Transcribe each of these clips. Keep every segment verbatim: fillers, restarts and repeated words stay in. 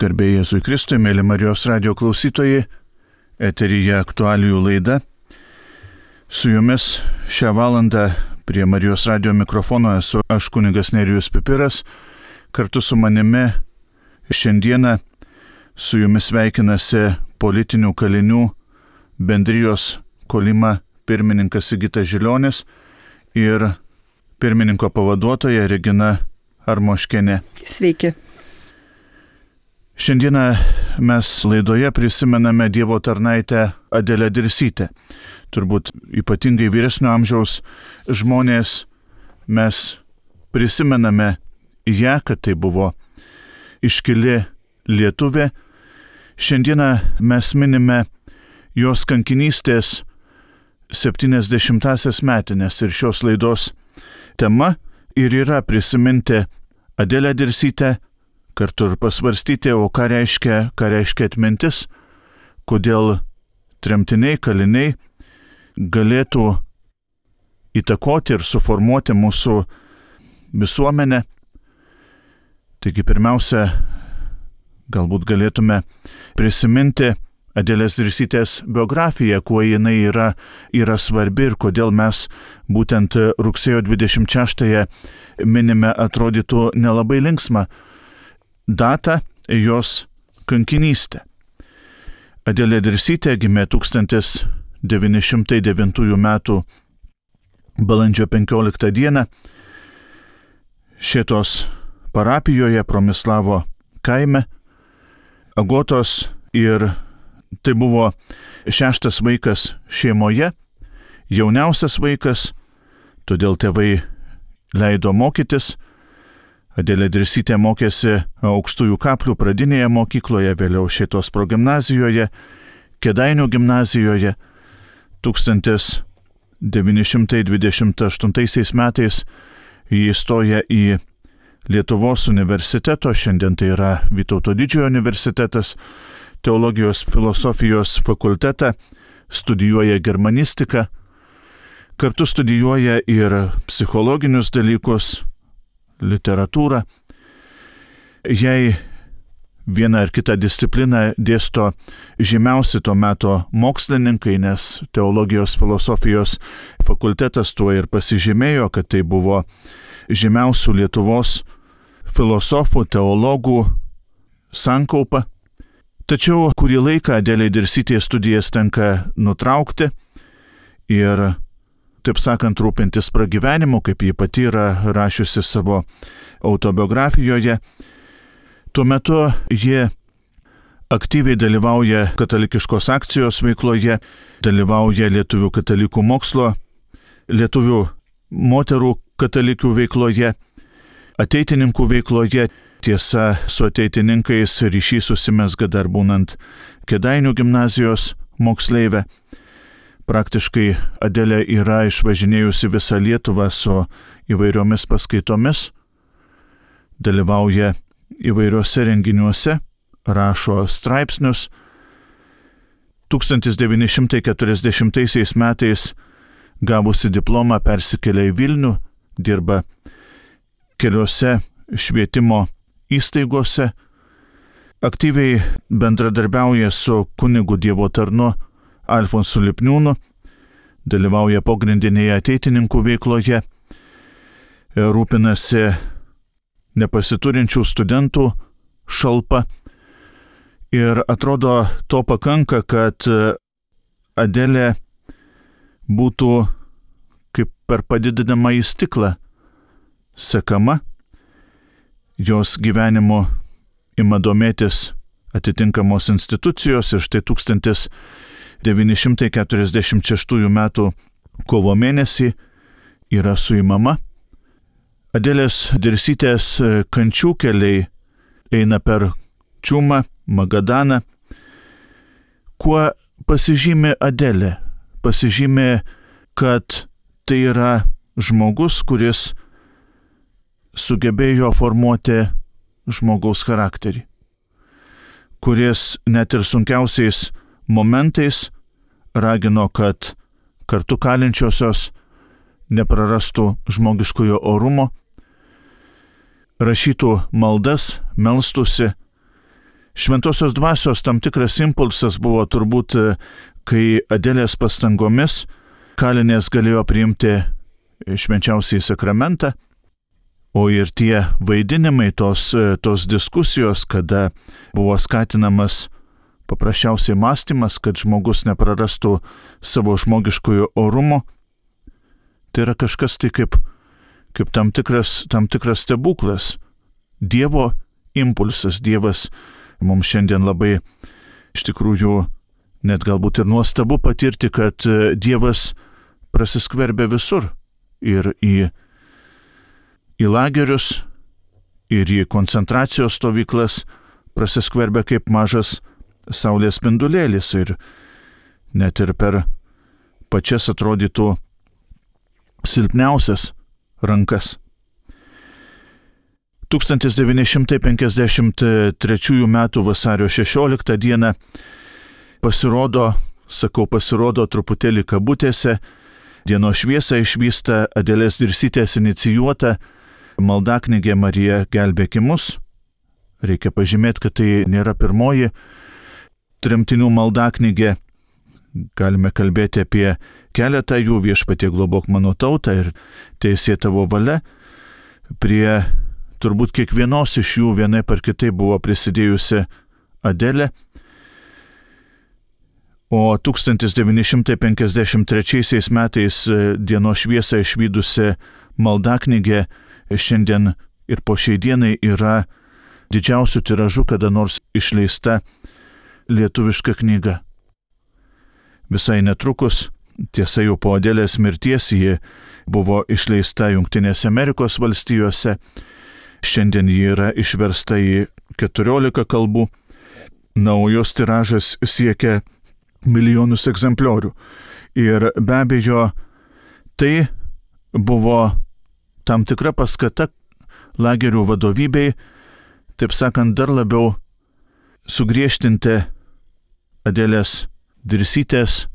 Garbė Jėzui Kristui, mėly Marijos radijo klausytojai, eteryje aktualijų laida. Su jumis šią valandą prie Marijos radijo mikrofono esu aš kunigas Nerijus Pipiras. Kartu su manimi šiandieną su jumis sveikinasi politinių kalinių bendrijos Kolima pirmininkas Sigitas Žilionis ir pirmininko pavaduotoja Regina Armoškienė. Sveiki. Šiandieną mes laidoje prisimename Dievo tarnaitę Adelę Dirsytę. Turbūt ypatingai vyresnio amžiaus žmonės mes prisimename ją, kad tai buvo iškili lietuvė. Šiandieną mes minime jos kankinystės septyniasdešimtąsias metines ir šios laidos tema ir yra prisiminti Adelę Dirsytę, kartu ir pasvarstyti, o ką reiškia, ką reiškia atmintis, kodėl tremtiniai, kaliniai galėtų įtakoti ir suformuoti mūsų visuomenę. Taigi pirmiausia, galbūt galėtume prisiminti Adelės Dirsytės biografiją, kuo jinai yra, yra svarbi ir kodėl mes būtent rugsėjo dvidešimt šeštąją minime atrodytų nelabai linksmą datą jos kankinystę. Adelė Dirsytė gimė tūkstantis devyni šimtai devintųjų metų balandžio penkioliktą dieną Šėtos parapijoje Promislavo kaime Agotos, ir tai buvo šeštas vaikas šeimoje, jauniausias vaikas, todėl tėvai leido mokytis. Adelė Dirsytė mokėsi Aukštųjų Kaplių pradinėje mokykloje, vėliau Šėtos progimnazijoje, Kėdainių gimnazijoje. tūkstantis devyni šimtai dvidešimt aštuntaisiais metais ji įstoja į Lietuvos universiteto, šiandien tai yra Vytauto Didžiojo universitetas, teologijos filosofijos fakultetą, studijuoja germanistiką, kartu studijuoja ir psichologinius dalykus, literatūrą. Jei vieną ar kitą discipliną dėsto žymiausi to meto mokslininkai, nes teologijos filosofijos fakultetas tuo ir pasižymėjo, kad tai buvo žymiausių Lietuvos filosofų, teologų sankaupa. Tačiau kurį laiką Adelei Dirsytei studijas tenka nutraukti ir, taip sakant, rūpintis pragyvenimu, kaip ji pati yra rašiusi savo autobiografijoje. Tuo metu ji aktyviai dalyvauja katalikiškos akcijos veikloje, dalyvauja lietuvių katalikų mokslo, lietuvių moterų katalikių veikloje, ateitininkų veikloje. Tiesa, su ateitininkais ryšys susimezga dar būnant Kėdainių gimnazijos moksleivė. Praktiškai Adelė yra išvažinėjusi visą Lietuvą su įvairiomis paskaitomis, dalyvauja įvairiuose renginiuose, rašo straipsnius. tūkstantis devyni šimtai keturiasdešimtaisiais metais gavusi diplomą persikėlė į Vilnių, dirba keliose švietimo įstaigose, aktyviai bendradarbiauja su kunigu Dievo tarnu Alfonsu Lipniūnu, dalyvauja pogrindinėje ateitininkų veikloje, rūpinasi nepasiturinčių studentų šalpa ir atrodo to pakanka, kad Adelė būtų kaip per padidinamą į stiklą sekama, jos gyvenimu ima domėtis atitinkamos institucijos ir štai tūkstantis devyni šimtai keturiasdešimt šeštųjų metų kovo mėnesį yra suimama. Adelės Dirsytės kančių keliai eina per Čiumą, Magadaną. Kuo pasižymi Adelė? Pasižymi, kad tai yra žmogus, kuris sugebėjo formuoti žmogaus charakterį, kuris net ir sunkiausiais momentais ragino, kad kartu kalinčiosios neprarastų žmogiškojo orumo, rašytų maldas, melstųsi Šventosios dvasios tam tikras impulsas buvo turbūt, kai Adelės pastangomis kalinės galėjo priimti švenčiausiąjį sakramentą, o ir tie vaidinimai, tos, tos diskusijos, kada buvo skatinamas paprasčiausiai mąstymas, kad žmogus neprarastų savo žmogiškojo orumo, tai yra kažkas tai kaip, kaip tam tikras, tam tikras stebuklas. Dievo impulsas, Dievas mums šiandien labai iš tikrųjų net galbūt ir nuostabu patirti, kad Dievas prasiskverbia visur ir į, į lagerius, ir į koncentracijos stovyklas, prasiskverbia kaip mažas saulės spindulėlis ir net ir per pačias atrodytų silpniausias rankas. tūkstantis devyni šimtai penkiasdešimt trečiųjų metų vasario šešioliktą dieną pasirodo, sakau pasirodo truputėlį kabutėse, dienos šviesą išvysta Adelės Dirsytės inicijuota maldaknygė Marija gelbėki mus. Reikia pažymėti, kad tai nėra pirmoji tremtinių maldaknygė. Galime kalbėti apie keletą jų, Viešpatie globok mano tautą ir Teisė tavo valia. Prie turbūt kiekvienos iš jų vienaip ar kitaip buvo prisidėjusi Adelė. O tūkstantis devyni šimtai penkiasdešimt trečiaisiais metais dienos šviesą išvydusi maldaknygė šiandien ir po šiai dienai yra didžiausių tiražų kada nors išleista lietuviška knyga. Visai netrukus, tiesa jau po Adelės mirties, ji buvo išleista Jungtinėse Amerikos valstijose. Šiandien ji yra išversta į keturiolika kalbų, na, o jos tiražas siekia milijonus egzempliorių. Ir be abejo, tai buvo tam tikra paskata lagerių vadovybei, taip sakant, dar labiau sugriežtinti Adelės Dirsytės,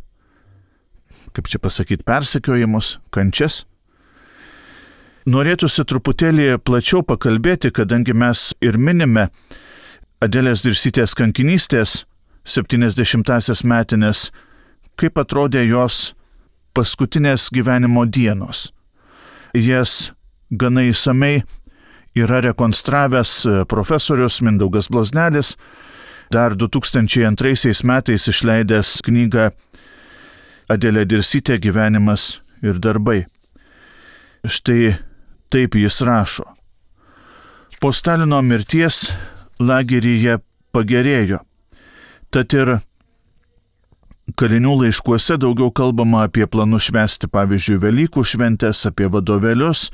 kaip čia pasakyti, persekiojimus, kančias. Norėtųsi truputėlį plačiau pakalbėti, kadangi mes ir minime Adelės Dirsytės kankinystės septyniasdešimtąsias metinės, kaip atrodė jos paskutinės gyvenimo dienos. Jas gana įsamei yra rekonstravęs profesorius Mindaugas Bloznelis, dar du tūkstančiai antraisiais metais išleidęs knygą Adelė Dirsytė gyvenimas ir darbai. Štai taip jis rašo. Po Stalino mirties lageryje pagerėjo. Tad ir kalinių laiškuose daugiau kalbama apie planus švęsti, pavyzdžiui, Velykų šventės, apie vadovėlius,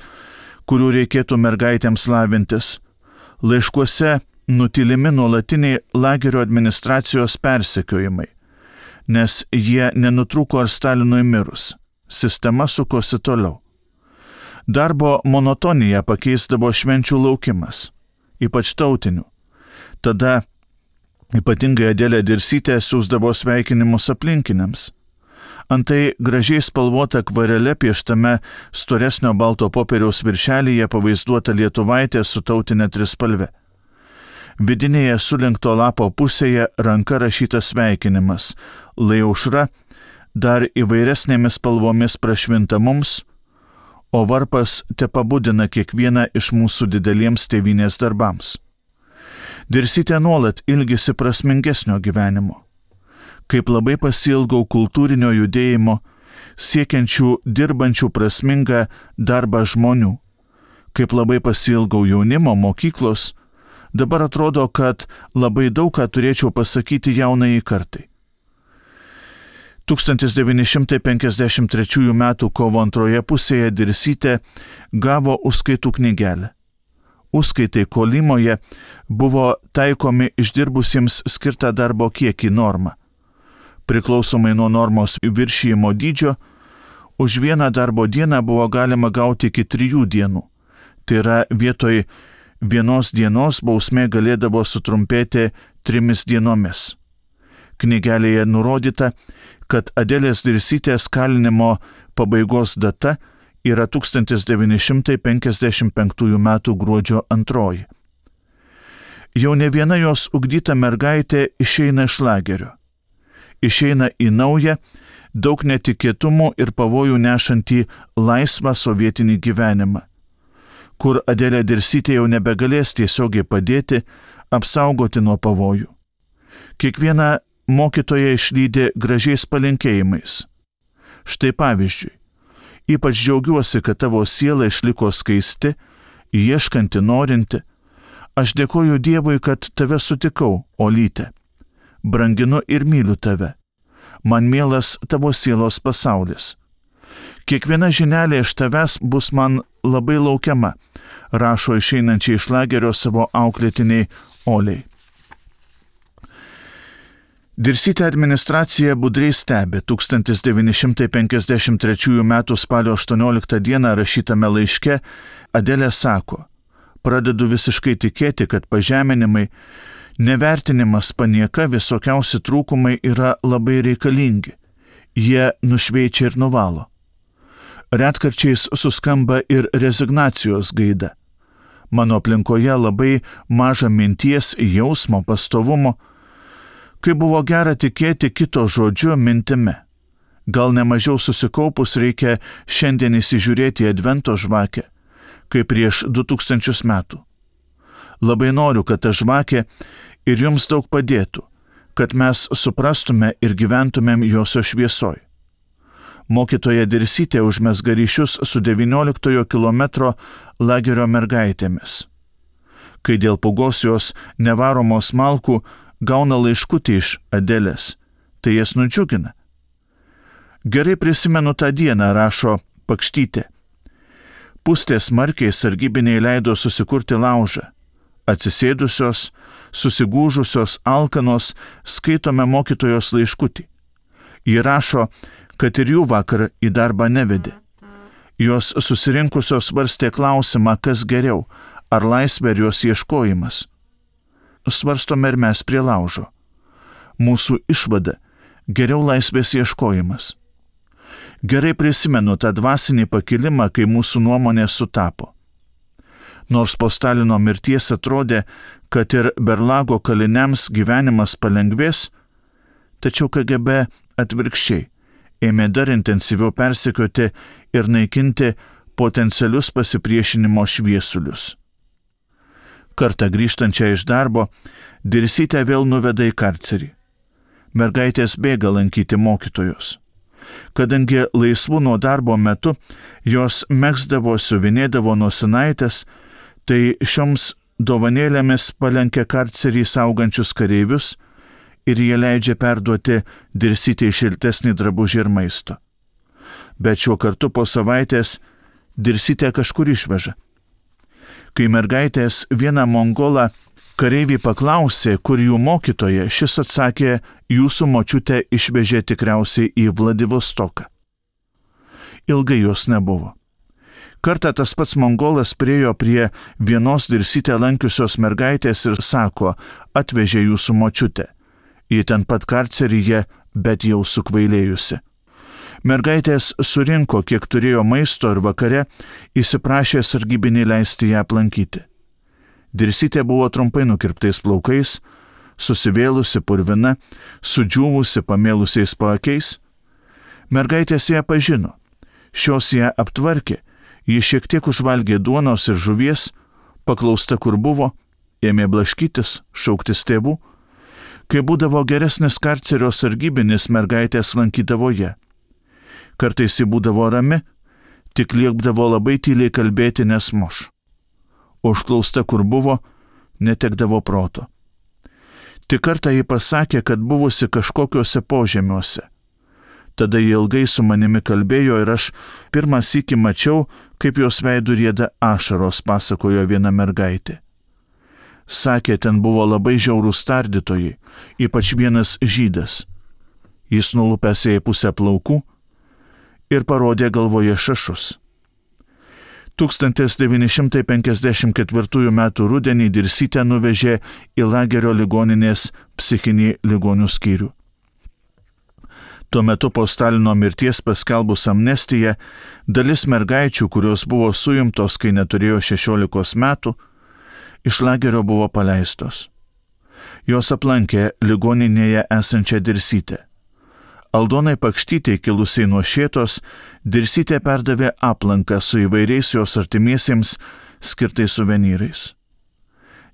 kurių reikėtų mergaitėms lavintis. Laiškuose nutilimi nuolatiniai lagerio administracijos persekiojimai, nes jie nenutrūko ar Stalinui mirus. Sistema sukosi toliau. Darbo monotoniją pakeisdavo švenčių laukimas, ypač tautinių. Tada ypatingai Adelė Dirsytė siųsdavo sveikinimus aplinkiniams. Antai gražiai spalvota akvarele pieštame storesnio balto popieriaus viršelyje pavaizduota lietuvaitė su tautinė trispalve. Vidinėje sulenkto lapo pusėje ranka rašytas sveikinimas, lai aušra dar įvairesnėmis spalvomis prašvinta mums, o varpas tepabudina kiekvieną iš mūsų dideliems tėvynės darbams. Dirsytė nuolat ilgisi prasmingesnio gyvenimo. Kaip labai pasiilgau kultūrinio judėjimo, siekiančių dirbančių prasmingą darbą žmonių. Kaip labai pasiilgau jaunimo, mokyklos, dabar atrodo, kad labai daug ką turėčiau pasakyti jaunajai kartai. tūkstantis devyni šimtai penkiasdešimt trečiųjų metų kovo antroje pusėje Dirsytė gavo užskaitų knygelę. Užskaitai Kolimoje buvo taikomi išdirbusiems skirtą darbo kiekį normą. Priklausomai nuo normos viršijimo dydžio, už vieną darbo dieną buvo galima gauti iki trijų dienų. Tai yra vietoj vienos dienos bausmė galėdavo sutrumpėti trimis dienomis. Knygelėje nurodyta, kad Adelės Dirsytės kalinimo pabaigos data yra tūkstantis devyni šimtai penkiasdešimt penktųjų metų gruodžio antroji. Jau ne viena jos ugdyta mergaitė išeina iš lagerio. Išeina į naują, daug netikėtumų ir pavojų nešantį laisvą sovietinį gyvenimą, kur Adelė Dirsytė jau nebegalės tiesiogiai padėti, apsaugoti nuo pavojų. Kiekvieną mokytoją išlydė gražiais palinkėjimais. Štai pavyzdžiui, ypač džiaugiuosi, kad tavo siela išliko skaisti, ieškanti, norinti. Aš dėkoju Dievui, kad tave sutikau, Olyte. Branginu ir myliu tave. Man mielas tavo sielos pasaulis. Kiekviena žinelė iš tavęs bus man labai laukiama, rašo išeinančiai iš lagerio savo auklėtiniai Oliai. Dirsytė administracija budriai stebi tūkstantis devyni šimtai penkiasdešimt trečiųjų metų spalio aštuonioliktą dieną rašytame laiške Adelė sako: pradedu visiškai tikėti, kad pažeminimai, nevertinimas, panieka, visokiausi trūkumai yra labai reikalingi. Jie nušveičia ir nuvalo. Retkarčiais suskamba ir rezignacijos gaida. Mano aplinkoje labai maža minties, jausmo, pastovumo, kai buvo gera tikėti kito žodžiu, mintimi. Gal nemažiau susikaupus reikia šiandien įsižiūrėti į advento žvakę, kaip prieš du tūkstančius metų. Labai noriu, kad ta žvakė ir jums daug padėtų, kad mes suprastume ir gyventumėm josios šviesoj. Mokytoja Dirsytė užmezga ryšius su devynioliktojo kilometro lagerio mergaitėmis. Kai dėl pūgos jos nevaromos malkų gauna laiškutį iš Adelės, tai jas nudžiugina. Gerai prisimenu tą dieną, rašo Pakštytė. Pustė smarkiai, sargybiniai leido susikurti laužą. Atsisėdusios, susigūžusios, alkanos, skaitome mokytojos laiškutį. Ji rašo, kad ir jų vakar į darbą nevedė. Jos susirinkusios svarstė klausimą, kas geriau, ar laisvė ar jos ieškojimas. Svarstome ir mes prie laužo. Mūsų išvada – geriau laisvės ieškojimas. Gerai prisimenu tą dvasinį pakilimą, kai mūsų nuomonė sutapo. Nors po Stalino mirties atrodė, kad ir Berlago kaliniams gyvenimas palengvės, tačiau K G B atvirkščiai ėmė dar intensyviau persekioti ir naikinti potencialius pasipriešinimo šviesulius. Kartą grįžtančią iš darbo, Dirsytė vėl nuveda į karcerį. Mergaitės bėga lankyti mokytojos. Kadangi laisvų nuo darbo metu jos megzdavo, siuvinėdavo nosinaitės, tai šioms dovanėlėmis palenkia karcerį saugančius kareivius ir jie leidžia perduoti Dirsytei šiltesnį drabužį ir maisto. Bet šiuo kartu po savaitės Dirsytė kažkur išveža. Kai mergaitės vieną mongolą kareivį paklausė, kur jų mokytoja, šis atsakė, jūsų močiutė išvežė tikriausiai į Vladivostoką. Ilgai jos nebuvo. Kartą tas pats mongolas priėjo prie vienos Dirsytę lankiusios mergaitės ir sako, atvežė jūsų močiutę. Ji ten pat karceryje, bet jau sukvailėjusi. Mergaitės surinko, kiek turėjo maisto ir vakare įsiprašė sargybinį leisti ją aplankyti. Dirsytė buvo trumpai nukirptais plaukais, susivėlusi purvina, sudžiūvusi pamėlusiais paakiais. Mergaitės ją pažino. Šios ją aptvarkė, ji šiek tiek užvalgė duonos ir žuvies, paklausta kur buvo, ėmė blaškytis, šauktis tėvų. Kai būdavo geresnis karcerio sargybinis, mergaitės lankydavo ją. Kartais ji būdavo rami, tik liepdavo labai tyliai kalbėti, nes muš. Užklausta kur buvo, netekdavo proto. Tik kartą ji pasakė, kad buvusi kažkokiuose požemiuose. Tada ji ilgai su manimi kalbėjo ir aš pirmą sykį mačiau, kaip jos veidų rieda ašaros, pasakojo viena mergaitė. Sakė, ten buvo labai žiaurūs tardytojai, ypač vienas žydas. Jis nulupęs jai pusę plaukų ir parodė galvoje šašus. tūkstantis devyni šimtai penkiasdešimt ketvirtųjų metų rudenį Dirsytę nuvežė į lagerio ligoninės psichinį ligonių skyrių. Tuo metu po Stalino mirties paskelbus amnestiją, dalis mergaičių, kurios buvo suimtos, kai neturėjo šešiolikos metų, iš lagerio buvo paleistos. Jos aplankė ligoninėje esančią Dirsytę. Aldonai Pakštytei kilusiai nuo Šėtos, Dirsytė perdavė aplanką su įvairiais jos artimiesiems skirtais suvenyrais.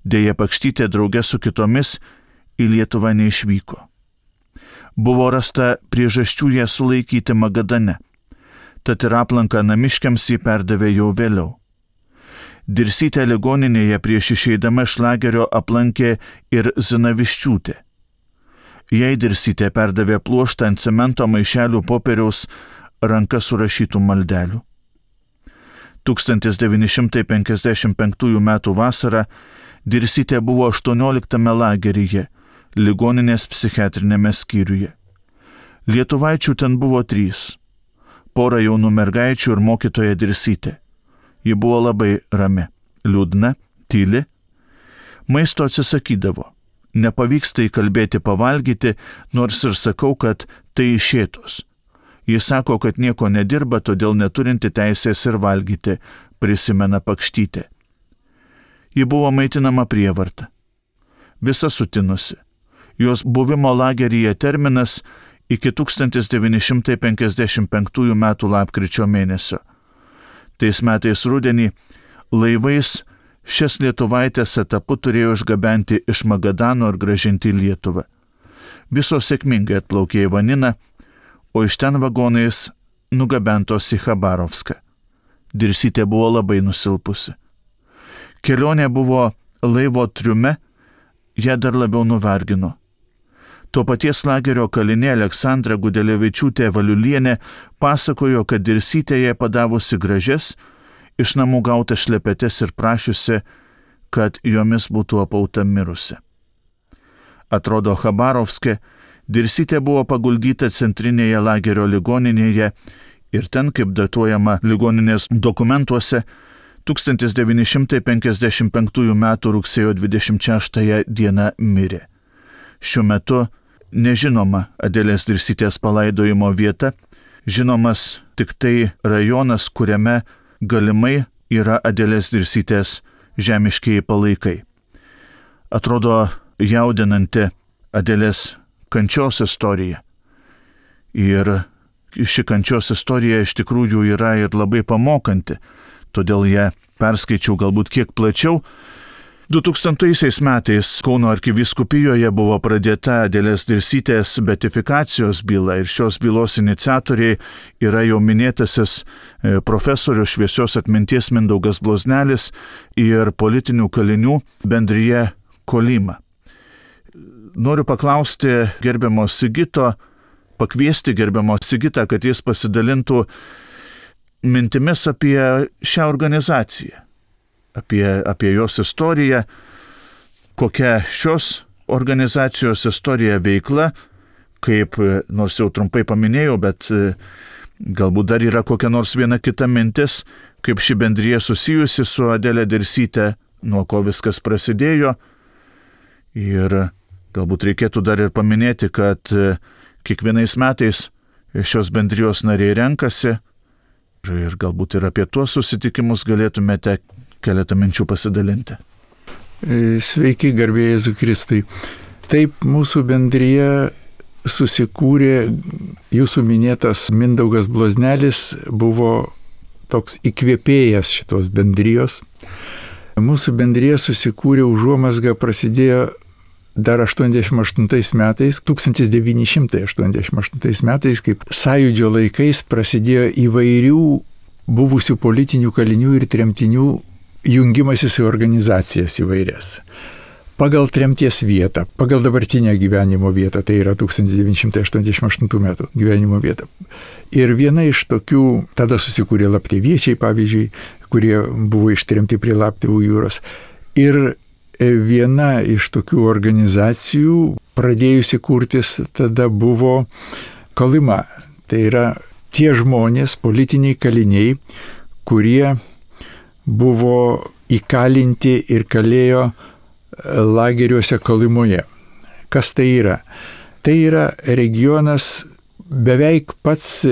Deja, Pakštytė drauge su kitomis į Lietuvą neišvyko. Buvo rasta priežasčių ją sulaikyti Magadane, tad ir aplanką namiškiams jį perdavė jau vėliau. Dirsytę ligoninėje prieš išeidama iš lagerio aplankė ir Zinaviščiūtė. Jai Dirsytė perdavė pluoštą ant cemento maišelių popieriaus ranka surašytų maldelių. tūkstantis devyni šimtai penkiasdešimt penktųjų metų vasarą Dirsytė buvo aštuonioliktame lageryje, ligoninės psichiatrinėme skyriuje. Lietuvaičių ten buvo trys. Pora jaunų mergaičių ir mokytoja Dirsytė. Ji buvo labai rami, liūdna, tyli. Maisto atsisakydavo. Nepavyksta įkalbėti pavalgyti, nors ir sakau, kad tai iš Šėtos. Jis sako, kad nieko nedirba, todėl neturinti teisės ir valgyti, prisimena Pakštytė. Ji buvo maitinama prievarta. Visa sutinusi. Jos buvimo lageryje terminas iki tūkstantis devyni šimtai penkiasdešimt penktųjų metų lapkričio mėnesio. Tais metais rudenį laivais šias lietuvaitės etapu turėjo išgabenti iš Magadano ir gražinti į Lietuvą. Visos sėkmingai atplaukė į Vaniną, o iš ten vagonais nugabentos į Chabarovską. Dirsytė buvo labai nusilpusi. Kelionė buvo laivo triume, ją dar labiau nuvargino. Tuo paties lagerio kalinė Aleksandra Gudelevičiūtė Valiulienė pasakojo, kad Dirsytė jai padavusi gražias, iš namų gauta šlepetes ir prašiusi, kad jomis būtų apauta mirusi. Atrodo, Chabarovske Dirsytė buvo paguldyta centrinėje lagerio ligoninėje ir ten, kaip datuojama ligoninės dokumentuose, tūkstantis devyni šimtai penkiasdešimt penktųjų metų rugsėjo dvidešimt šeštąją dieną mirė. Šiuo metu nežinoma Adelės Dirsytės palaidojimo vieta, žinomas tik tai rajonas, kuriame galimai yra Adelės Dirsytės žemiškieji palaikai. Atrodo jaudinanti Adelės kančios istorija. Ir ši kančios istorija iš tikrųjų yra ir labai pamokanti, todėl ją perskaičiau galbūt kiek plačiau. du tūkstantaisiais metais Kauno arkivyskupijoje buvo pradėta Adelės Dirsytės beatifikacijos byla ir šios bylos iniciatoriai yra jau minėtasis profesorius šviesios atminties Mindaugas Bloznelis ir politinių kalinių bendrija Kolima. Noriu paklausti gerbiamo Sigito, pakviesti gerbiamo Sigitą, kad jis pasidalintų mintimis apie šią organizaciją. Apie, apie jos istoriją, kokia šios organizacijos istorija veikla, kaip, nors jau trumpai paminėjau, bet galbūt dar yra kokia nors viena kita mintis, kaip ši bendrija susijusi su Adelė Dirsytė, nuo ko viskas prasidėjo. Ir galbūt reikėtų dar ir paminėti, kad kiekvienais metais šios bendrijos nariai renkasi ir galbūt ir apie tuos susitikimus galėtumėte keletą minčių pasidalinti. Sveiki, garbė Jėzui Kristui. Taip, mūsų bendrija susikūrė, jūsų minėtas Mindaugas Bloznelis buvo toks įkvėpėjas šitos bendrijos. Mūsų bendrija susikūrė, užuomazga prasidėjo dar aštuoniasdešimt aštuntais metais, tūkstantis devyni šimtai aštuoniasdešimt aštuntais metais, kaip sąjūdžio laikais prasidėjo įvairių buvusių politinių kalinių ir tremtinių jungimasis į organizacijas įvairias. Pagal tremties vietą, pagal dabartinę gyvenimo vietą, tai yra tūkstantis devyni šimtai aštuoniasdešimt aštuntų metų gyvenimo vietą. Ir viena iš tokių, tada susikūrė Lapteviečiai, pavyzdžiui, kurie buvo ištremti prie Laptevų jūros. Ir viena iš tokių organizacijų, pradėjusi kurtis, tada buvo Kolima. Tai yra tie žmonės, politiniai kaliniai, kurie buvo įkalinti ir kalėjo lageriuose Kolimoje. Kas tai yra? Tai yra regionas, beveik pats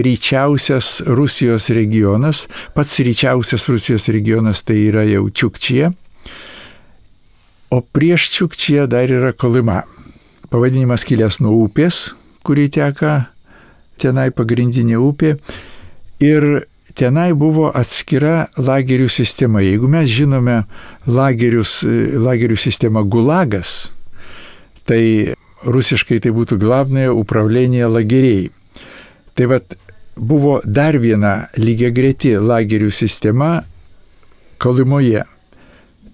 ryčiausias Rusijos regionas, pats ryčiausias Rusijos regionas tai yra jau Čiukčija. O prieš Čiukčiją dar yra Kolyma. Pavadinimas kilęs nuo upės, kuri teka tenai, pagrindinė upė. Ir tenai buvo atskira lagerių sistema. Jeigu mes žinome lagerius, lagerių sistemą Gulagas, tai rusiškai tai būtų Glavnaja upravlение лагерей. Tai vat buvo dar viena lygiagreti lagerių sistema Kolymoje.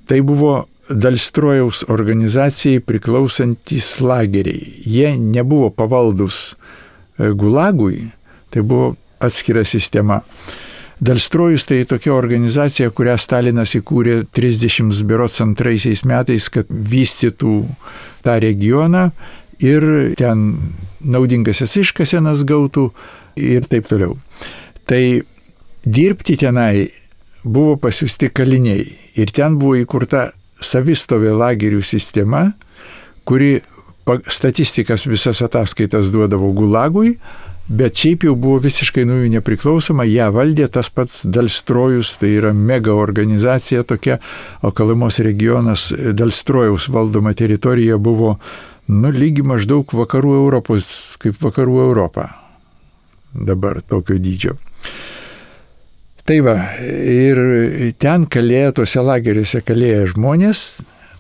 Tai buvo Dalstrojaus organizacijai priklausantis lageriai. Jie nebuvo pavaldus Gulagui, tai buvo atskira sistema. Dalstrojus tai tokia organizacija, kurią Stalinas įkūrė trisdešimt berods antraisiais metais, kad vystytų tą regioną ir ten naudingasias iškasenas gautų ir taip toliau. Tai dirbti tenai buvo pasiųsti kaliniai ir ten buvo įkurta savistovė lagerių sistema, kuri statistikas visas ataskaitas duodavo Gulagui, bet šiaip jau buvo visiškai nuo jų nepriklausoma, ją valdė tas pats Dalstrojus, tai yra mega organizacija tokia, o Kolymos regionas Dalstrojaus valdoma teritorija buvo, nu, lygi maždaug vakarų Europos, kaip vakarų Europa. Dabar tokio dydžio. Tai va, ir ten kalėjo, tuose lageriuose kalėjo žmonės.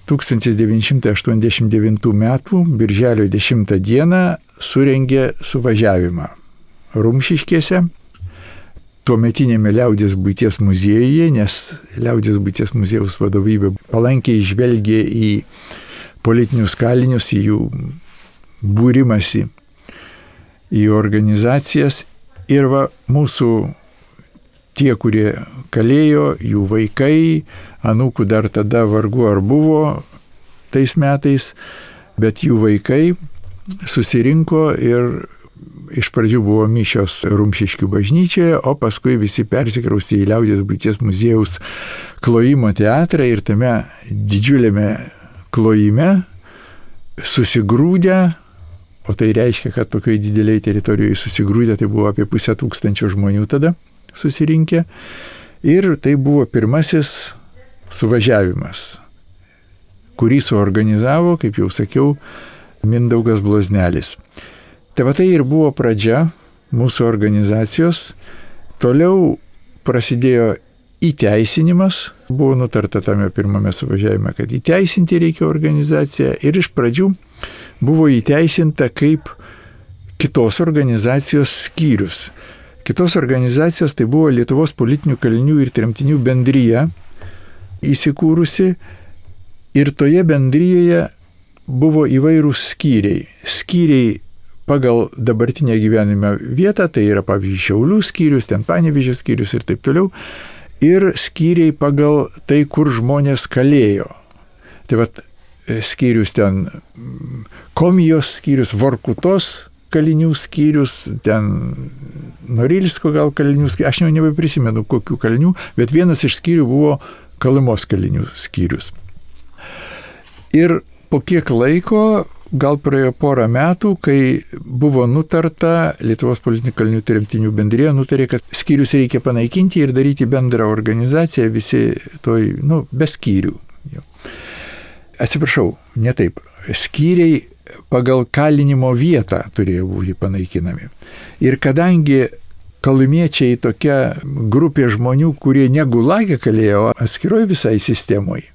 tūkstantis devyni šimtai aštuoniasdešimt devintų metų birželio dešimtą dieną surengė suvažiavimą Rumšiškėse, tuometinėme Liaudės buities muziejuje, nes Liaudės buities muziejaus vadovybė palankiai žvelgė į politinius kalinius, į jų būrimąsi, į organizacijas. Ir va, mūsų tie, kurie kalėjo, jų vaikai, anūkų dar tada vargu ar buvo tais metais, bet jų vaikai susirinko ir iš pradžių buvo mišios Rumšiškių bažnyčioje, o paskui visi persikraustė į Liaudės buities muziejaus klojimo teatrą ir tame didžiuliame klojime susigrūdę, o tai reiškia, kad tokioj dideliai teritorijoje susigrūdę, tai buvo apie pusę tūkstančio žmonių tada susirinkę. Ir tai buvo pirmasis suvažiavimas, kurį suorganizavo, kaip jau sakiau, Mindaugas Bloznelis. Tai va tai ir buvo pradžia mūsų organizacijos. Toliau prasidėjo įteisinimas. Buvo nutarta tame pirmame suvažiavime, kad įteisinti reikia organizaciją. Ir iš pradžių buvo įteisinta kaip kitos organizacijos skyrius. Kitos organizacijos tai buvo Lietuvos politinių kalinių ir tremtinių bendrija įsikūrusi. Ir toje bendrijoje buvo įvairūs skyriai. Skyriai pagal dabartinę gyvenimo vietą, tai yra pavyzdžiui Šiaulių skyrius, ten Panevėžio skyrius ir taip toliau. Ir skyriai pagal tai, kur žmonės kalėjo. Tai vat skyrius ten Komijos skyrius, Vorkutos kalinių skyrius, ten Norilsko gal kalinių skyrius, aš jau nebeprisimenu kokių kalinių, bet vienas iš skyrių buvo Kolymos kalinių skyrius. Ir po kiek laiko, gal praėjo porą metų, kai buvo nutarta, Lietuvos politinių kalinių tremtinių bendrija nutarė, kad skyrius reikia panaikinti ir daryti bendrą organizaciją, visi toj, nu, be skyrių. Atsiprašau, ne taip. Skyriai pagal kalinimo vietą turėjo būti panaikinami. Ir kadangi kolymiečiai tokia grupė žmonių, kurie ne Gulage kalėjo, atskiroj visai sistemoje,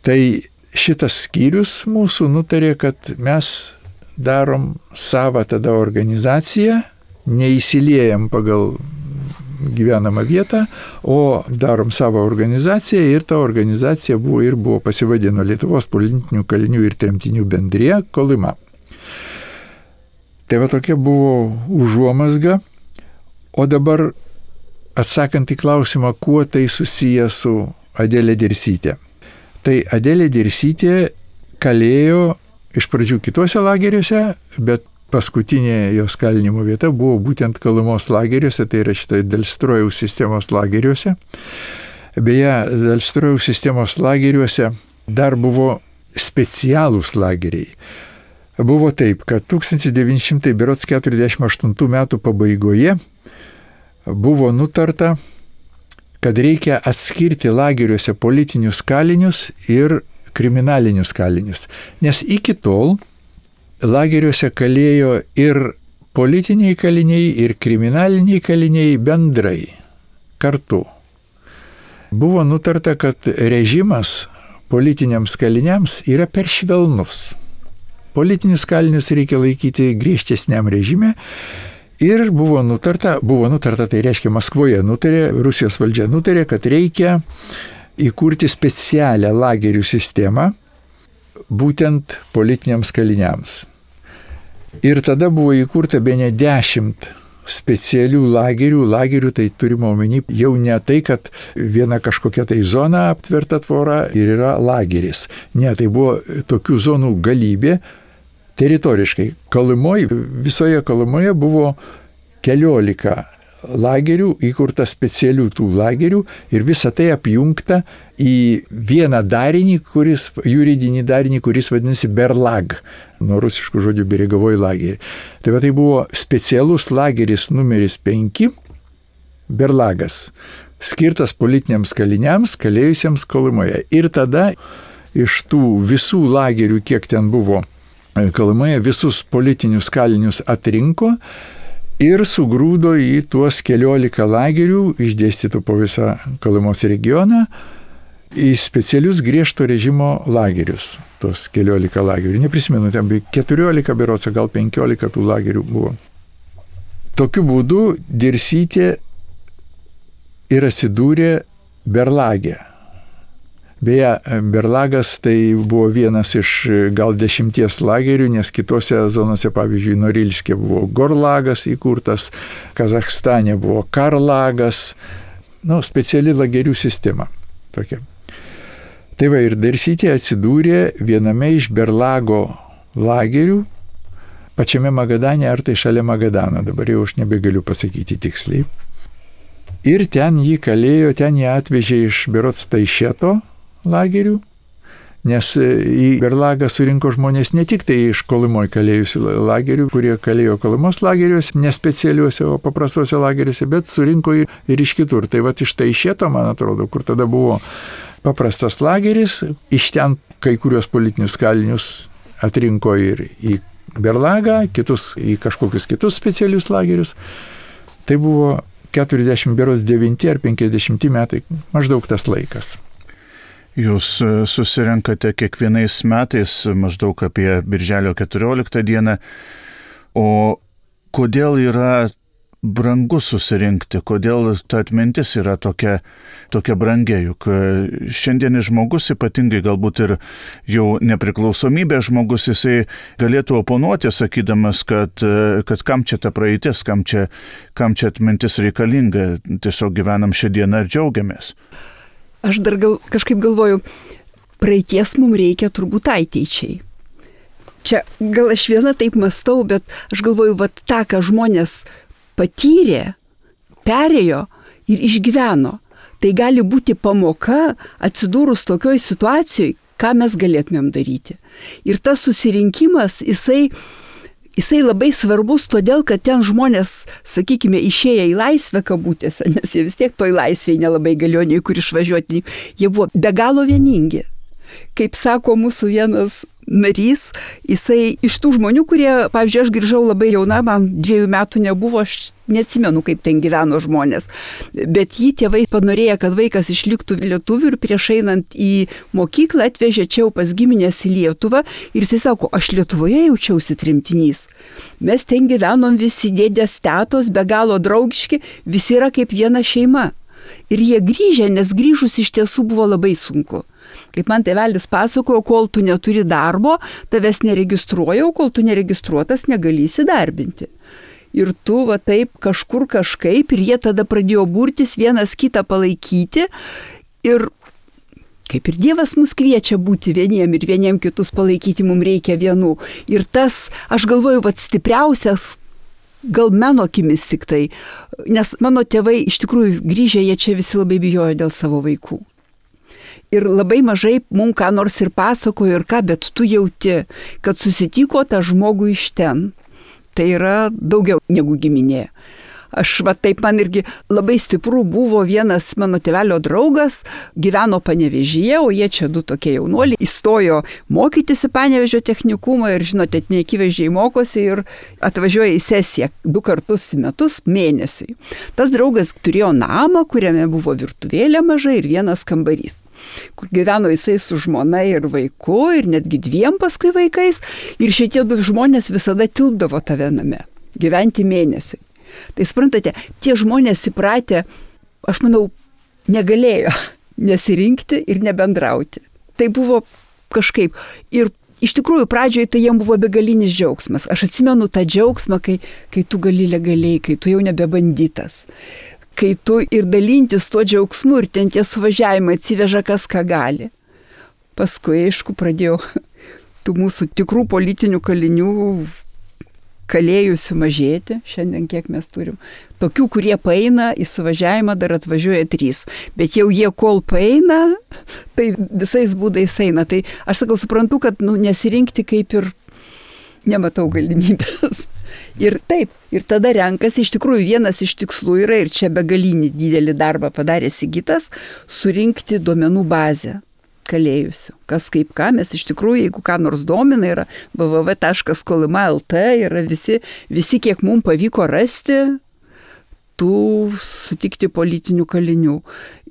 tai šitas skyrius mūsų nutarė, kad mes darom savą tada organizaciją, neįsiliejam pagal gyvenamą vietą, o darom savo organizaciją ir ta organizacija buvo ir buvo pasivadino Lietuvos politinių kalinių ir tremtinių bendrija Kolyma. Tai va tokia buvo užuomazga, o dabar atsakant į klausimą, kuo tai susiję su Adelė Dirsytė. Tai Adelė Dirsytė kalėjo iš pradžių kitose lageriuose, bet paskutinė jos kalinimo vieta buvo būtent Kolymos lageriuose, tai yra šitai Dalstrojaus sistemos lageriuose. Beje, Dalstrojaus sistemos lageriuose dar buvo specialūs lageriai. Buvo taip, kad tūkstantis devyni šimtai keturiasdešimt aštuntų metų pabaigoje buvo nutarta, kad reikia atskirti lageriuose politinius kalinius ir kriminalinius kalinius. Nes iki tol lageriuose kalėjo ir politiniai kaliniai, ir kriminaliniai kaliniai bendrai, kartu. Buvo nutarta, kad režimas politiniams kaliniams yra per švelnus. Politinius kalinius reikia laikyti griežtesniam režime. Ir buvo nutarta, buvo nutarta, tai reiškia Maskvoje nutarė, Rusijos valdžia nutarė, kad reikia įkurti specialią lagerių sistemą būtent politiniams kaliniams. Ir tada buvo įkurta bene dešimt specialių lagerių. Lagerių tai turime omeny jau ne tai, kad viena kažkokia tai zona aptverta tvora ir yra lageris. Ne, tai buvo tokių zonų galybė. Teritoriškai. Kalumoje, visoje Kalumoje buvo keliolika lagerių, įkurta specialių tų lagerių ir visa tai apjungta į vieną darinį, kuris, juridinį darinį, kuris vadinasi Berlag, nuo rusiškų žodžių beregovoji lagerį. Tai va tai buvo specialus lageris numeris penki, Berlagas, skirtas politiniams kaliniams, kalėjusiems Kalumoje. Ir tada iš tų visų lagerių, kiek ten buvo Kalumoje, visus politinius kalinius atrinko ir sugrūdo į tuos keliolika lagerių, išdėstytų po visą Kalumos regioną, į specialius griežto režimo lagerius. Tuos keliolika lagerių. Neprisimenu, ten buvo keturiolika berods, gal penkiolika tų lagerių buvo. Tokiu būdu Dirsytė ir atsidūrė Berlage. Beje, Berlagas tai buvo vienas iš gal dešimties lagerių, nes kitose zonose, pavyzdžiui, Norilske buvo Gorlagas įkurtas, Kazachstane buvo Karlagas, nu, speciali lagerių sistema tokia. Tai va, ir Dirsytė atsidūrė viename iš Berlago lagerių, pačiame Magadane, ar tai šalia Magadano, dabar jau aš nebegaliu pasakyti tiksliai. Ir ten jį kalėjo, ten jį atvežė iš berods Taišeto lagerių, nes į Berlagą surinko žmonės ne tik tai iš Kolumoj kalėjusių lagerių, kurie kalėjo Kolumos lageriuose, nespecialiuose, o paprastuose lageriuose, bet surinko ir iš kitur. Tai va iš Taišeto, man atrodo, kur tada buvo paprastas lageris, iš ten kai kurios politinius kalinius atrinko ir į Berlagą, kitus į kažkokius kitus specialius lagerius. Tai buvo keturiasdešimt devinti ar penkiasdešimti metai, maždaug tas laikas. Jūs susirenkate kiekvienais metais maždaug apie birželio keturioliktą dieną, o kodėl yra brangu susirinkti, kodėl ta atmintis yra tokia, tokia brangia, juk šiandienis žmogus, ypatingai galbūt ir jau nepriklausomybės žmogus, jisai galėtų oponuoti, sakydamas, kad, kad kam čia ta praeitis, kam čia, kam čia atmintis reikalinga, tiesiog gyvenam šią dieną ir džiaugiamės. Aš dar gal, kažkaip galvoju, praeities mums reikia turbūt ateičiai. Čia gal aš viena taip mąstau, bet aš galvoju, vat tą, ką žmonės patyrė, perėjo ir išgyveno. Tai gali būti pamoka atsidūrus tokioj situacijoj, ką mes galėtumėm daryti. Ir tas susirinkimas, jisai, jisai labai svarbus todėl, kad ten žmonės, sakykime, išėję į laisvę kabutėse, nes jie vis tiek toj laisvėje nelabai galėjo nei kur išvažiuoti, jie buvo be galo vieningi. Kaip sako mūsų vienas narys, jisai iš tų žmonių, kurie, pavyzdžiui, aš grįžau labai jauna, man dviejų metų nebuvo, aš neatsimenu, kaip ten gyveno žmonės, bet jį tėvai panorėjo, kad vaikas išliktų lietuvių ir prieš einant į mokyklą atvežė čia pas giminės į Lietuvą ir jisai sako, aš Lietuvoje jaučiausi tremtinys. Mes ten gyvenom visi dėdės tetos, be galo draugiški, visi yra kaip viena šeima. Ir jie grįžę, nes grįžus iš tiesų buvo labai sunku. Kaip man tėvelis pasakojo, kol tu neturi darbo, tavęs neregistruoja, o kol tu neregistruotas negali įsidarbinti. Ir tu va taip kažkur kažkaip, ir jie tada pradėjo burtis, vienas kitą palaikyti. Ir kaip ir Dievas mus kviečia būti vieniem ir vieniem kitus palaikyti, mums reikia vienų. Ir tas, aš galvoju, va stipriausias, gal mano akimis tik tai, nes mano tėvai iš tikrųjų grįžę, jie čia visi labai bijojo dėl savo vaikų. Ir labai mažai mums ką nors ir pasakojo ir ką, bet tu jauti, kad susitiko tą žmogų iš ten. Tai yra daugiau negu giminė. Aš va taip man irgi labai stipru buvo vienas mano tėvelio draugas, gyveno Panevėžyje, o jie čia du tokie jaunuoliai, įstojo mokytis į Panevėžio technikumą ir, žinote, neakivaizdžiai mokosi ir atvažiuoja į sesiją du kartus į metus mėnesiui. Tas draugas turėjo namą, kuriame buvo virtuvėlė maža ir vienas kambarys, kur gyveno jisai su žmona ir vaiku ir netgi dviem paskui vaikais ir šitie du žmonės visada tilpdavo tave name, gyventi mėnesiui. Tai suprantate, tie žmonės įpratę, aš manau, negalėjo nesirinkti ir nebendrauti. Tai buvo kažkaip. Ir iš tikrųjų pradžioje tai jiems buvo begalinis džiaugsmas. Aš atsimenu tą džiaugsmą, kai, kai tu gali legaliai, kai tu jau nebebandytas. Kai tu ir dalintis tuo džiaugsmu ir ten tie suvažiavimai atsiveža kas ką gali. Paskui, aišku, pradėjau tų mūsų tikrų politinių kalinių kalėjusių mažėti, šiandien kiek mes turim. Tokių, kurie paeina į suvažiavimą, dar atvažiuoja trys. Bet jau jie kol paeina, tai visais būdais eina. Tai aš sakau, suprantu, kad nu, nesirinkti kaip ir nematau galimybės. Ir taip, ir tada renkasi, iš tikrųjų vienas iš tikslų yra, ir čia begalinį didelį darbą padarė Sigitas, surinkti duomenų bazę kalėjusių. Kas kaip ką, mes iš tikrųjų, jeigu ką nors domina, yra w w w taškas kolima taškas l t, yra visi, visi, kiek mums pavyko rasti, tų sutikti politinių kalinių.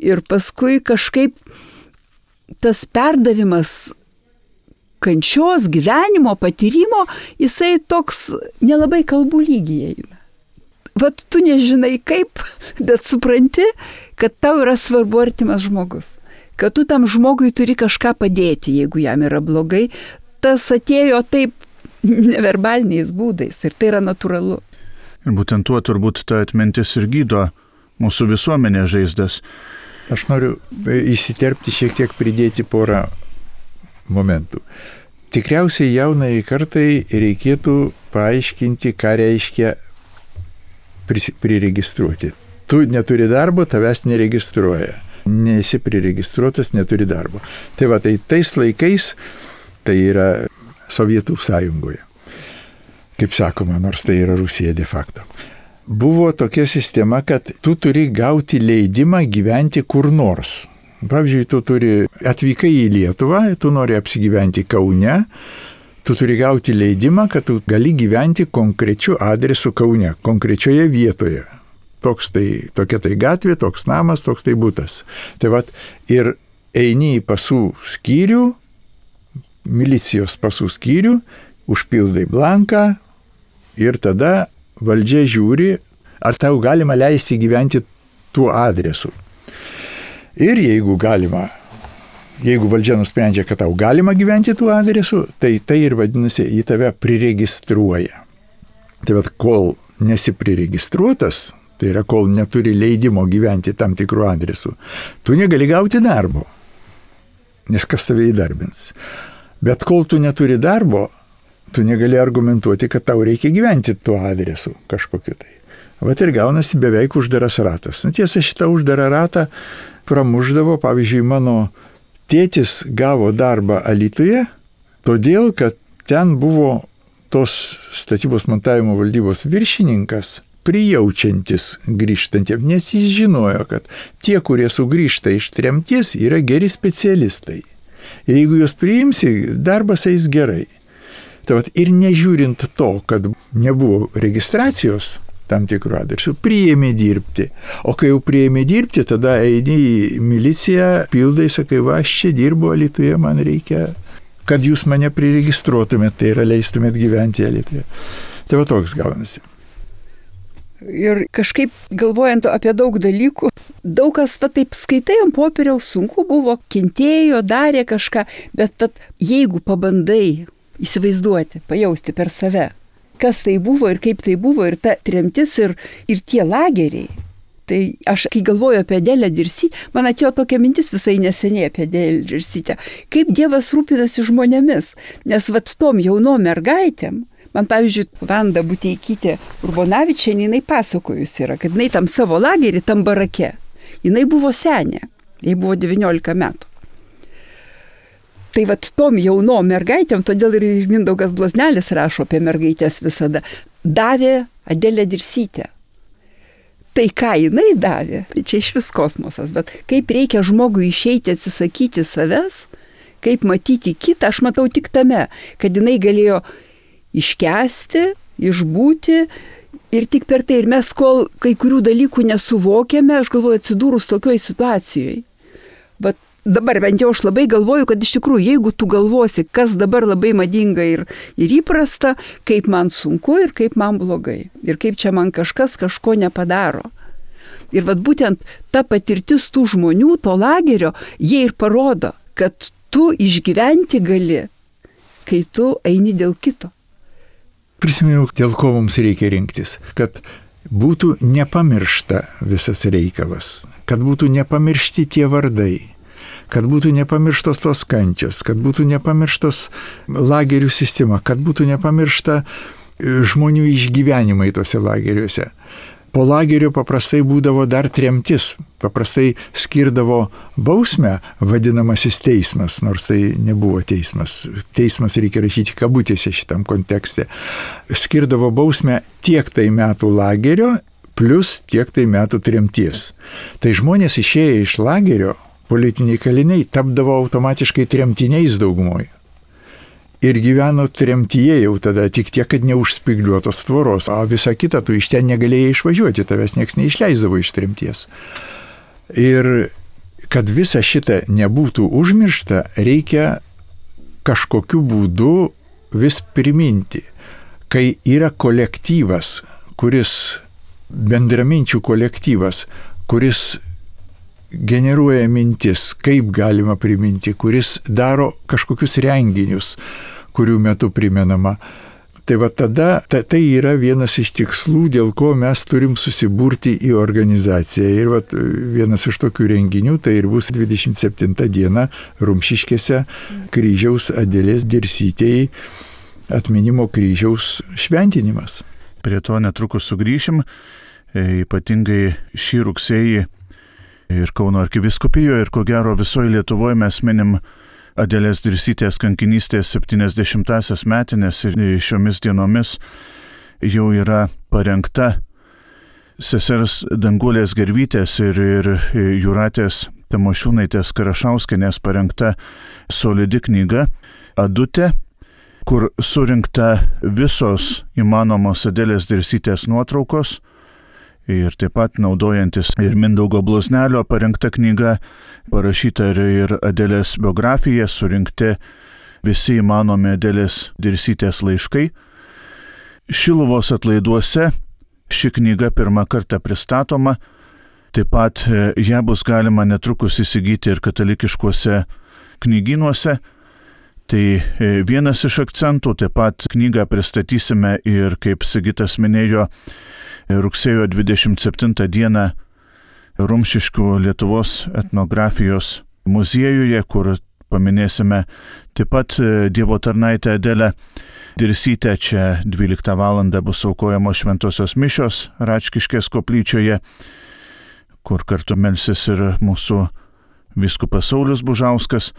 Ir paskui kažkaip tas perdavimas kančios, gyvenimo, patyrimo, jisai toks nelabai kalbų lygyje eina. Vat tu nežinai kaip, bet supranti, kad tau yra svarbu artimas žmogus. Kad tu tam žmogui turi kažką padėti, jeigu jam yra blogai, tas atėjo taip neverbaliniais būdais ir tai yra natūralu. Ir būtent tuo turbūt ta atmintis ir gydo mūsų visuomenė žaizdas. Aš noriu įsiterpti šiek tiek pridėti porą momentų. Tikriausiai jaunai kartai reikėtų paaiškinti, ką reiškia priregistruoti. Tu neturi darbo, tavęs neregistruoja. Nesi priregistruotas, neturi darbo. Tai va, tai tais laikais, tai yra Sovietų sąjungoje, kaip sakoma, nors tai yra Rusija de facto. Buvo tokia sistema, kad tu turi gauti leidimą gyventi kur nors. Pavyzdžiui, tu turi, atvykai į Lietuvą, tu nori apsigyventi Kaune, tu turi gauti leidimą, kad tu gali gyventi konkrečiu adresu Kaune, konkrečioje vietoje. Toks tai, tokia tai gatvė, toks namas, toks tai butas. Tai vat, ir eini į pasų skyrių, milicijos pasų skyrių, užpildai blanką ir tada valdžia žiūri, ar tau galima leisti gyventi tuo adresu. Ir jeigu galima, jeigu valdžia nusprendžia, kad tau galima gyventi tuo adresu, tai tai ir vadinasi, į tave priregistruoja. Tai vat, kol nesi priregistruotas, tai yra, kol neturi leidimo gyventi tam tikrų adresų, tu negali gauti darbo, nes kas tave įdarbins. Bet kol tu neturi darbo, tu negali argumentuoti, kad tau reikia gyventi tuo adresu kažkokiu tai. Vat ir gaunasi beveik uždaras ratas. Na, tiesa, šitą uždarą ratą pramuždavo, pavyzdžiui, mano tėtis gavo darbą Alytuje, todėl, kad ten buvo tos statybos montavimo valdybos viršininkas, prijaučiantis grįžtantiems, nes jis žinojo, kad tie, kurie sugrįžta iš tremties, yra geri specialistai. Ir jeigu juos priimsi, darbas eis gerai. Tai vat, ir nežiūrint to, kad nebuvo registracijos tam tikrų adresų, priėmė dirbti. O kai jau priėmė dirbti, tada eini į miliciją, pildai, sakai, va, aš čia dirbu Alytuje, man reikia, kad jūs mane priregistruotumėt, tai yra leistumėt gyventi Alytuje. Tai va toks gaunasi. Ir kažkaip galvojant apie daug dalykų, daug kas va taip skaitai ant popieriaus, sunku buvo, kentėjo, darė kažką, bet, bet jeigu pabandai įsivaizduoti, pajausti per save, kas tai buvo ir kaip tai buvo, ir ta tremtis, ir, ir tie lageriai. Tai aš, kai galvoju apie Adelę Dirsytę, man atėjo tokia mintis visai neseniai apie Adelę Dirsytę, kaip Dievas rūpinasi žmonėmis, nes vat tom jaunom mergaitėm, man, pavyzdžiui, Vanda Buteikytė Urbonavičienė, jinai pasakojus yra, kad jinai tam savo lagerį, tam barake, jinai buvo senė, jai buvo devyniolika metų. Tai vat tom jaunom mergaitėm, todėl ir Mindaugas Bloznelis rašo apie mergaitės visada, davė Adelę Dirsytę. tai, ką jinai davė, čia iš vis kosmosas, bet kaip reikia žmogui išeiti, atsisakyti savęs, kaip matyti kitą, aš matau tik tame, kad jinai galėjo iškęsti, išbūti ir tik per tai. Ir mes, kol kai kurių dalykų nesuvokėme, aš galvoju, atsidūrus tokioj situacijoje. Bet dabar bent jau aš labai galvoju, kad iš tikrųjų, jeigu tu galvosi, kas dabar labai madinga ir, ir įprasta, kaip man sunku ir kaip man blogai. Ir kaip čia man kažkas kažko nepadaro. Ir vat būtent ta patirtis tų žmonių, to lagerio, jie ir parodo, kad tu išgyventi gali, kai tu eini dėl kito. Prisiminiau, dėl ko mums reikia rinktis, kad būtų nepamiršta visas reikalas, kad būtų nepamiršti tie vardai, kad būtų nepamirštos tos kančios, kad būtų nepamirštos lagerių sistema, kad būtų nepamiršta žmonių išgyvenimai tose lageriuose. Po lagerio paprastai būdavo dar tremtis, paprastai skirdavo bausmę vadinamasis teismas, nors tai nebuvo teismas. Teismas reikia rašyti kabutėse šitam kontekste. Skirdavo bausmę tiek tai metų lagerio, plus tiek tai metų tremties. Tai žmonės išėję iš lagerio, politiniai kaliniai, tapdavo automatiškai tremtiniais daugumoje. Ir gyveno tremtyje jau tada, tik tiek, kad neužspigliuotos tvoros, o visą kitą tu iš ten negalėjai išvažiuoti, tavęs nieks neišleisdavo iš tremties. Ir kad visa šita nebūtų užmiršta, reikia kažkokiu būdu vis priminti, kai yra kolektyvas, kuris, bendraminčių kolektyvas, kuris generuoja mintis, kaip galima priminti, kuris daro kažkokius renginius, kurių metu primenama. Tai va tada, ta, tai yra vienas iš tikslų, dėl ko mes turim susiburti į organizaciją. Ir va, vienas iš tokių renginių, tai ir bus dvidešimt septintą dieną Rumšiškėse kryžiaus Adelės Dirsytei atminimo kryžiaus šventinimas. Prie to netrukus sugrįšim, ypatingai šį rugsėjį ir Kauno arkivyskupijoje, ir ko gero visoje Lietuvoje mes minim Adelės Dirsytės kankinystės septyniasdešimtąsias metines ir šiomis dienomis jau yra parengta sesers Danguolės Gervytės ir, ir Jūratės Tamošiūnaitės Karašauskienės parengta solidi knyga Adutė, kur surinkta visos įmanomos Adelės Dirsytės nuotraukos. Ir taip pat naudojantis ir Mindaugo Bloznelio parengta knyga, parašyta ir, ir Adelės biografija, surinkti visi įmanomi Adelės Dirsytės laiškai. Šiluvos atlaiduose ši knyga pirmą kartą pristatoma, taip pat ją bus galima netrukus įsigyti ir katalikiškuose knygynuose. Tai vienas iš akcentų, taip pat knygą pristatysime ir, kaip Sigitas minėjo, rugsėjo dvidešimt septintą dieną Rumšiškių Lietuvos etnografijos muziejuje, kur paminėsime taip pat Dievo tarnaitę Adelę Dirsytę. Čia dvyliktą valandą bus aukojamos šventosios mišios Račkiškės koplyčioje, kur kartu melsis ir mūsų vyskupas Saulius Bužauskas.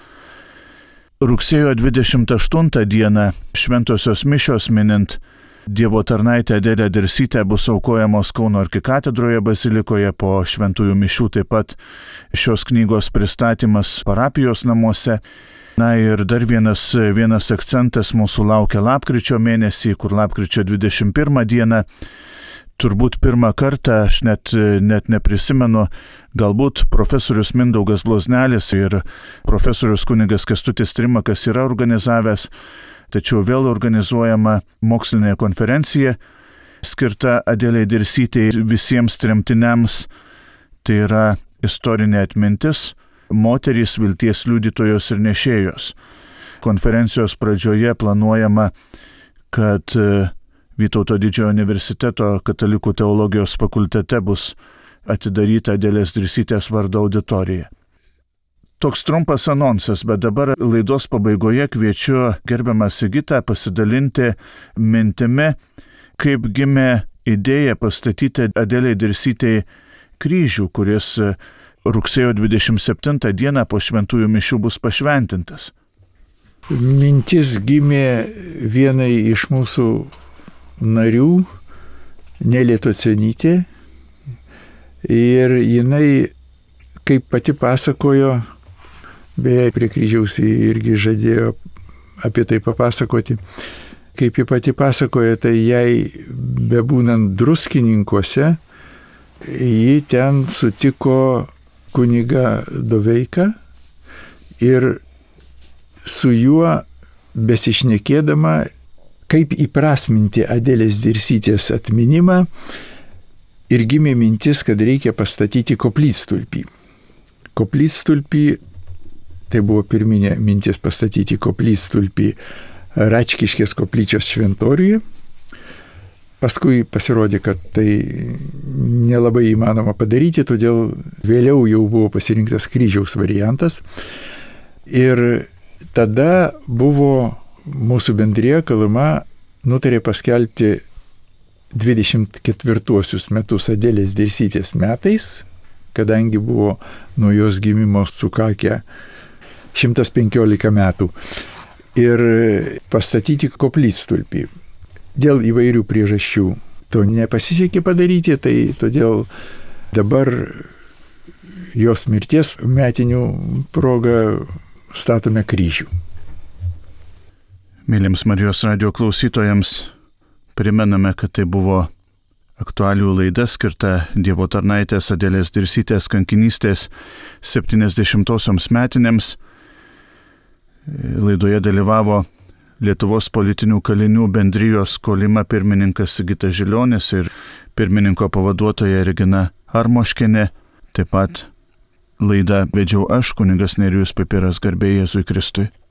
Rugsėjo dvidešimt aštuntą dieną šventosios mišios minint Dievo tarnaitę Adelę Dirsytę bus aukojamos Kauno arkikatedroje bazilikoje, po šventųjų mišių taip pat šios knygos pristatymas parapijos namuose. Na ir dar vienas, vienas akcentas mūsų laukia lapkričio mėnesį, kur lapkričio dvidešimt pirmą dieną, turbūt pirmą kartą, aš net, net neprisimenu, galbūt profesorius Mindaugas Bloznelis ir profesorius kunigas Kęstutis Trimakas yra organizavęs, tačiau vėl organizuojama mokslinė konferencija skirta Adelei Dirsytei visiems tremtiniams. Tai yra istorinė atmintis, moterys, vilties liudytojos ir nešėjos. Konferencijos pradžioje planuojama, kad Vytauto Didžiojo universiteto katalikų teologijos fakultete bus atidaryta Adelės Dirsytės vardo auditorija. Toks trumpas anonsas, bet dabar laidos pabaigoje kviečiu gerbiamą Sigitą pasidalinti mintimi, kaip gimė idėja pastatyti Adelei Dirsytei kryžių, kuris rugsėjo dvidešimt septintą dieną po šventųjų mišių bus pašventintas. Mintis gimė vienai iš mūsų narių, Nelė Tocionytė, Ir jinai, kaip pati pasakojo, beje, prie kryžiaus irgi žadėjo apie tai papasakoti, kaip ji pati pasakoja, tai jai bebūnant Druskininkuose, ji ten sutiko kunigą Doveiką ir su juo besišnekėdama, kaip įprasminti Adelės Dirsytės atminimą, ir gimė mintis, kad reikia pastatyti koplytstulpį. Koplytstulpį, tai buvo pirminė mintis pastatyti koplytstulpį Račkiškės koplyčios šventoriuje. Paskui pasirodė, kad tai nelabai įmanoma padaryti, todėl vėliau jau buvo pasirinktas kryžiaus variantas. Ir tada buvo mūsų bendrija Kaluma nutarė paskelbti dvidešimt ketvirtuosius metus Adelės Dirsytės metais, kadangi buvo nuo jos gimimo sukakę šimtas penkiolika metų, ir pastatyti koplytstulpį. Dėl įvairių priežasčių to nepasisekė padaryti, tai todėl dabar jos mirties metinių proga statome kryžių. Mėlyms Marijos radijo klausytojams primename, kad tai buvo aktualijų laida skirta Dievo tarnaitės Adelės Dirsytės kankinystės septyniasdešimtosioms metinėms. Laidoje dalyvavo Lietuvos politinių kalinių bendrijos Kolima pirmininkas Sigitas Žilionis ir pirmininko pavaduotoja Regina Armoškienė. Taip pat laidą vedžiau aš, kunigas Nerijus Pipiras, garbė Jėzui Kristui.